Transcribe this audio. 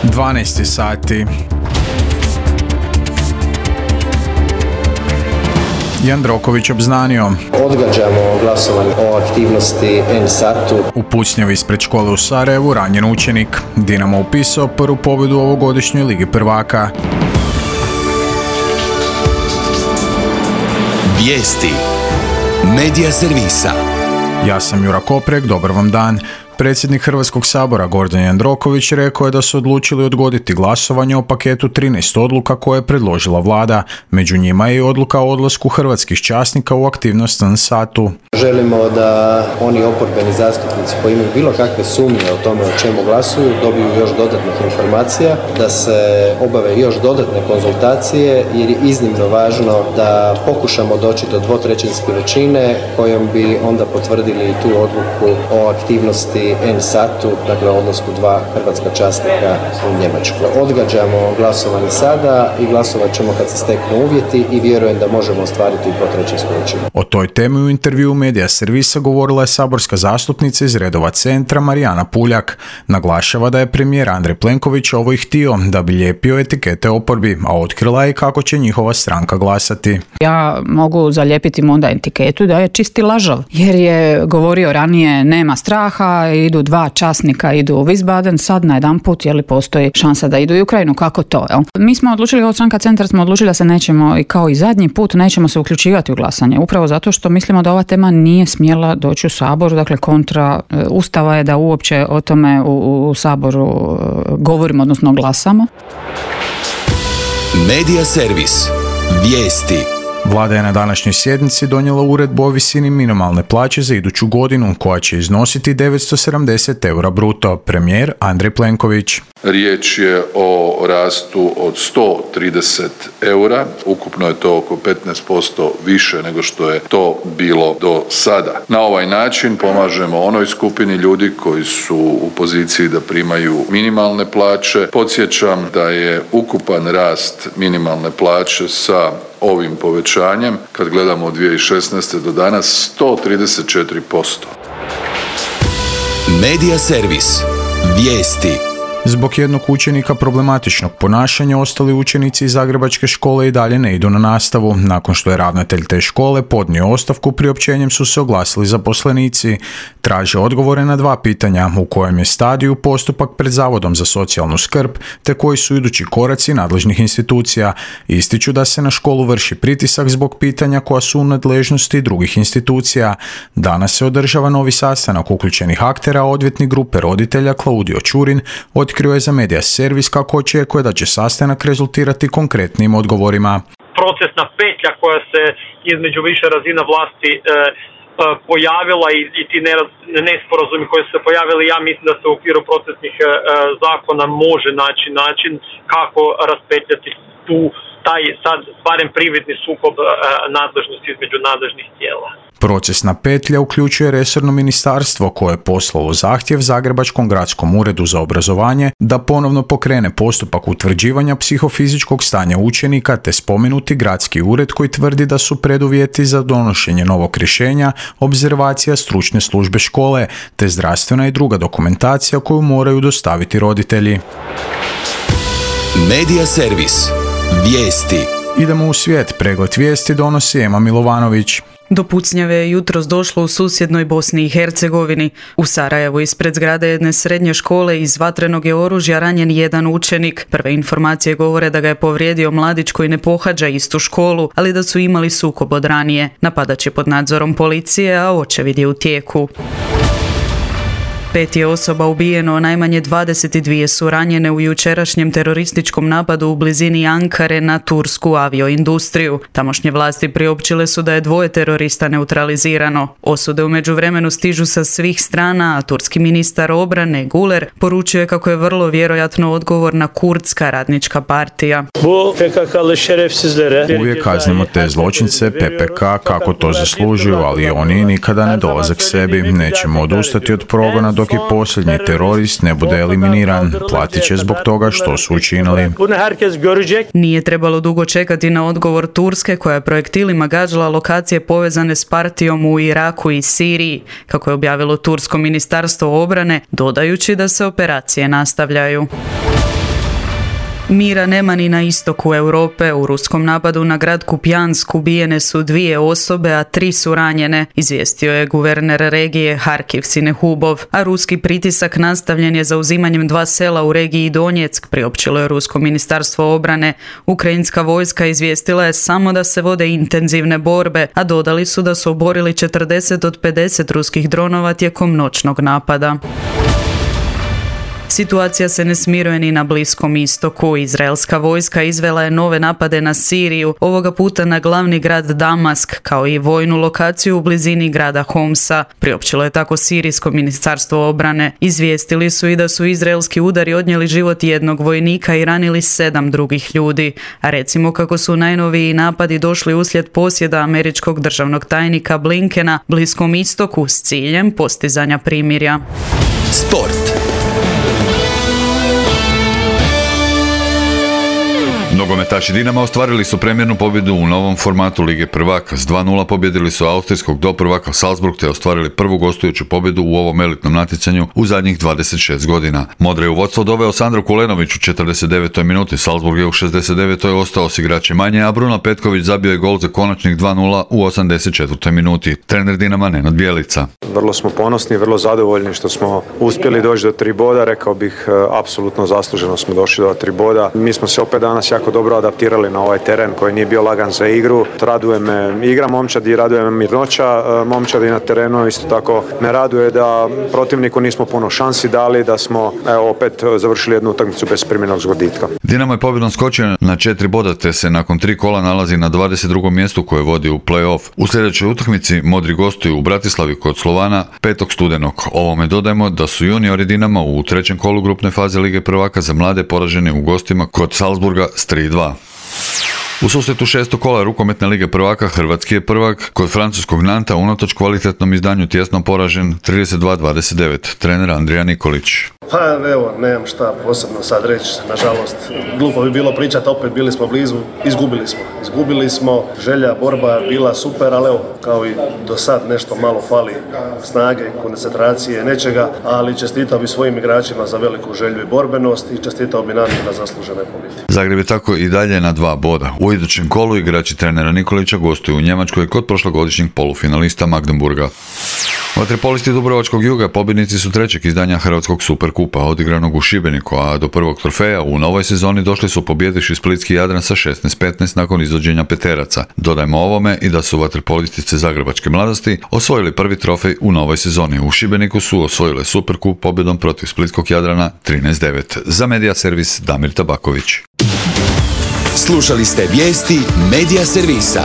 12 sati. Jandroković obznanio. Odgađamo glasovanje o aktivnosti N-satu. U pucnjavi ispred škole u Sarajevu ranjen učenik. Dinamo upisao prvu pobjedu u ovogodišnjoj Ligi prvaka. Vijesti Medija servisa. Ja sam Jura Koprek, dobar vam dan. Predsjednik Hrvatskog sabora Gordan Jandroković rekao je da su odlučili odgoditi glasovanje o paketu 13 odluka koje je predložila vlada. Među njima je i odluka o odlasku hrvatskih časnika u aktivnost N-satu. Želimo da oni oporbeni zastupnici koji imaju bilo kakve sumnje o tome o čemu glasuju dobiju još dodatnih informacija, da se obave još dodatne konzultacije jer je iznimno važno da pokušamo doći do dvotrećinske većine kojom bi onda potvrdili tu odluku o aktivnosti N-satu, dakle o odlasku 2 hrvatska časnika u Njemačku. Odgađamo glasovanje sada i glasovat ćemo kad se steknu uvjeti i vjerujem da možemo ostvariti dvotrećinsku većinu. O toj temi u intervjuu Medija servisa govorila je saborska zastupnica iz redova Centra Marijana Puljak. Naglašava da je premijer Andrej Plenković ovo i htio da bi lijepio etikete oporbi, a otkrila je kako će njihova stranka glasati. Ja mogu zalijepiti mu onda etiketu da je čisti lažov, jer je govorio ranije nema straha, idu 2 časnika, idu u Wiesbaden, sad najedanput postoji šansa da idu u Ukrajinu, kako to? Jel? Mi smo odlučili, kao stranka Centar smo odlučili da se nećemo, i kao i zadnji put, nećemo se uključivati u glasanje, upravo zato što mislimo da ova tema nije smjela doći u Saboru, dakle kontra Ustava je da uopće o tome u Saboru govorimo, odnosno glasamo. Medija servis. Vijesti. Vlada je na današnjoj sjednici donijela uredbu o visini minimalne plaće za iduću godinu, koja će iznositi 970 eura bruto. Premijer Andrej Plenković. Riječ je o rastu od 130 eura, ukupno je to oko 15% više nego što je to bilo do sada. Na ovaj način pomažemo onoj skupini ljudi koji su u poziciji da primaju minimalne plaće. Podsjećam da je ukupan rast minimalne plaće sa ovim povećanjem, kad gledamo od 2016. do danas, 134%. Medija servis. Vijesti. Zbog jednog učenika problematičnog ponašanja ostali učenici iz zagrebačke škole i dalje ne idu na nastavu. Nakon što je ravnatelj te škole podnio ostavku, priopćenjem su se oglasili zaposlenici. Traže odgovore na 2 pitanja: u kojem je stadiju postupak pred Zavodom za socijalnu skrb, te koji su idući koraci nadležnih institucija. Ističu da se na školu vrši pritisak zbog pitanja koja su u nadležnosti drugih institucija. Danas se održava novi sastanak uključenih aktera, odvjetnik grupe roditelja Klaudio Ćurin otkrio je za Medija servis kako očekuje da će sastanak rezultirati konkretnim odgovorima. Procesna petlja koja se između više razina vlasti pojavila i ti nesporazumi koji su se pojavili, ja mislim da se u okviru procesnih zakona može naći način kako raspetljati taj sad barem prividni sukob nadležnosti između nadležnih tijela. Procesna petlja uključuje resorno ministarstvo koje je poslalo zahtjev Zagrebačkom gradskom uredu za obrazovanje da ponovno pokrene postupak utvrđivanja psihofizičkog stanja učenika, te spomenuti gradski ured koji tvrdi da su preduvjeti za donošenje novog rješenja obzervacija stručne službe škole, te zdravstvena i druga dokumentacija koju moraju dostaviti roditelji. Medija servis. Vijesti. Idemo u svijet. Pregled vijesti donosi Ema Milovanović. Do pucnjave je jutros došlo u susjednoj Bosni i Hercegovini. U Sarajevu ispred zgrade jedne srednje škole iz vatrenog je oružja ranjen jedan učenik. Prve informacije govore da ga je povrijedio mladić koji ne pohađa istu školu, ali da su imali sukob od ranije. Napadač je pod nadzorom policije, a očevid je u tijeku. 5 je osoba ubijeno, najmanje 22 su ranjene u jučerašnjem terorističkom napadu u blizini Ankare na tursku avioindustriju. Tamošnje vlasti priopćile su da je 2 terorista neutralizirano. Osude u međuvremenu stižu sa svih strana, a turski ministar obrane Guler poručuje kako je vrlo vjerojatno odgovorna Kurdska radnička partija. Uvijek kaznimo te zločince PPK kako to zaslužuju, ali oni nikada ne dolaze k sebi. Nećemo odustati od progona dok i posljednji terorist ne bude eliminiran. Platit će zbog toga što su učinili. Nije trebalo dugo čekati na odgovor Turske koja je projektilima gađala lokacije povezane s partijom u Iraku i Siriji, kako je objavilo Tursko ministarstvo obrane, dodajući da se operacije nastavljaju. Mira nema ni na istoku Europe. U ruskom napadu na grad Kupjansk ubijene su 2 osobe, a 3 su ranjene, izvijestio je guverner regije Harkiv Sinehubov, a ruski pritisak nastavljen je zauzimanjem 2 sela u regiji Donjeck, priopćilo je rusko ministarstvo obrane. Ukrajinska vojska izvijestila je samo da se vode intenzivne borbe, a dodali su da su oborili 40 od 50 ruskih dronova tijekom noćnog napada. Situacija se ne smiruje ni na Bliskom istoku. Izraelska vojska izvela je nove napade na Siriju, ovoga puta na glavni grad Damask, kao i vojnu lokaciju u blizini grada Homsa. Priopćilo je tako sirijsko ministarstvo obrane. Izvijestili su i da su izraelski udari odnijeli život 1 vojnika i ranili 7 drugih ljudi. A recimo kako su najnoviji napadi došli uslijed posjeda američkog državnog tajnika Blinkena Bliskom istoku s ciljem postizanja primirja. Sport. Nogometaši Dinama ostvarili su premjernu pobjedu u novom formatu Lige prvaka. S 2:0 pobjedili su austrijskog doprvaka Salzburg te ostvarili prvu gostujuću pobjedu u ovom elitnom natjecanju u zadnjih 26 godina. Modre u vodstvo doveo Sandro Kulenović u 49. minuti, Salzburg je u 69. ostao s igračem manje, a Bruno Petković zabio je gol za konačnih 2:0 u 84. minuti. Trener Dinama Nenad Bjelica. Vrlo smo ponosni, vrlo zadovoljni što smo uspjeli doći do 3 boda, rekao bih apsolutno zasluženo smo došli do 3 boda. Mi smo se opet danas jako dobro adaptirali na ovaj teren koji nije bio lagan za igru. Raduje me igra momčadi, raduje me mirnoća momčadi na terenu, isto tako me raduje da protivniku nismo puno šansi dali, da smo opet završili jednu utakmicu bez primjenog zgoditka. Dinamo je pobjedom skočio na 4 boda te se nakon 3 kola nalazi na 22. mjestu koje vodi u play-off. U sljedećoj utakmici Modri gostuju u Bratislavi kod Slovana 5. studenog. Ovome dodajemo da su juniori Dinama u 3. kolu grupne faze Lige prvaka za mlade poraženi u gostima kod Salzburga s 3:2. U susretu 6. kola rukometne Lige prvaka hrvatski je prvak kod francuskog Nanta unatoč kvalitetnom izdanju tjesno poražen 32-29. Trener Andrija Nikolić. Pa evo, nemam šta posebno sad reći, nažalost, glupo bi bilo pričati, opet bili smo blizu, izgubili smo, želja, borba bila super, ali evo, kao i do sad nešto malo fali snage, koncentracije, nečega, ali čestitao bi svojim igračima za veliku želju i borbenost i čestitao bi Nantu na zaslužene pobjede. Zagreb je tako i dalje na 2 boda. U idućem kolu igrači trenera Nikolića gostuju u Njemačkoj kod prošlogodišnjeg polufinalista Magdeburga. Vaterpolisti Dubrovačkog Juga pobjednici su 3. izdanja Hrvatskog superkupa odigranog u Šibeniku, a do prvog trofeja u novoj sezoni došli su pobjedivši splitski Jadran sa 16-15 nakon izvođenja peteraca. Dodajmo ovome i da su vaterpolistice Zagrebačke mladosti osvojili prvi trofej u novoj sezoni. U Šibeniku su osvojile superkup pobjedom protiv splitskog Jadrana 13-9. Za Medija servis Damir Tabaković. Slušali ste vijesti Medija servisa.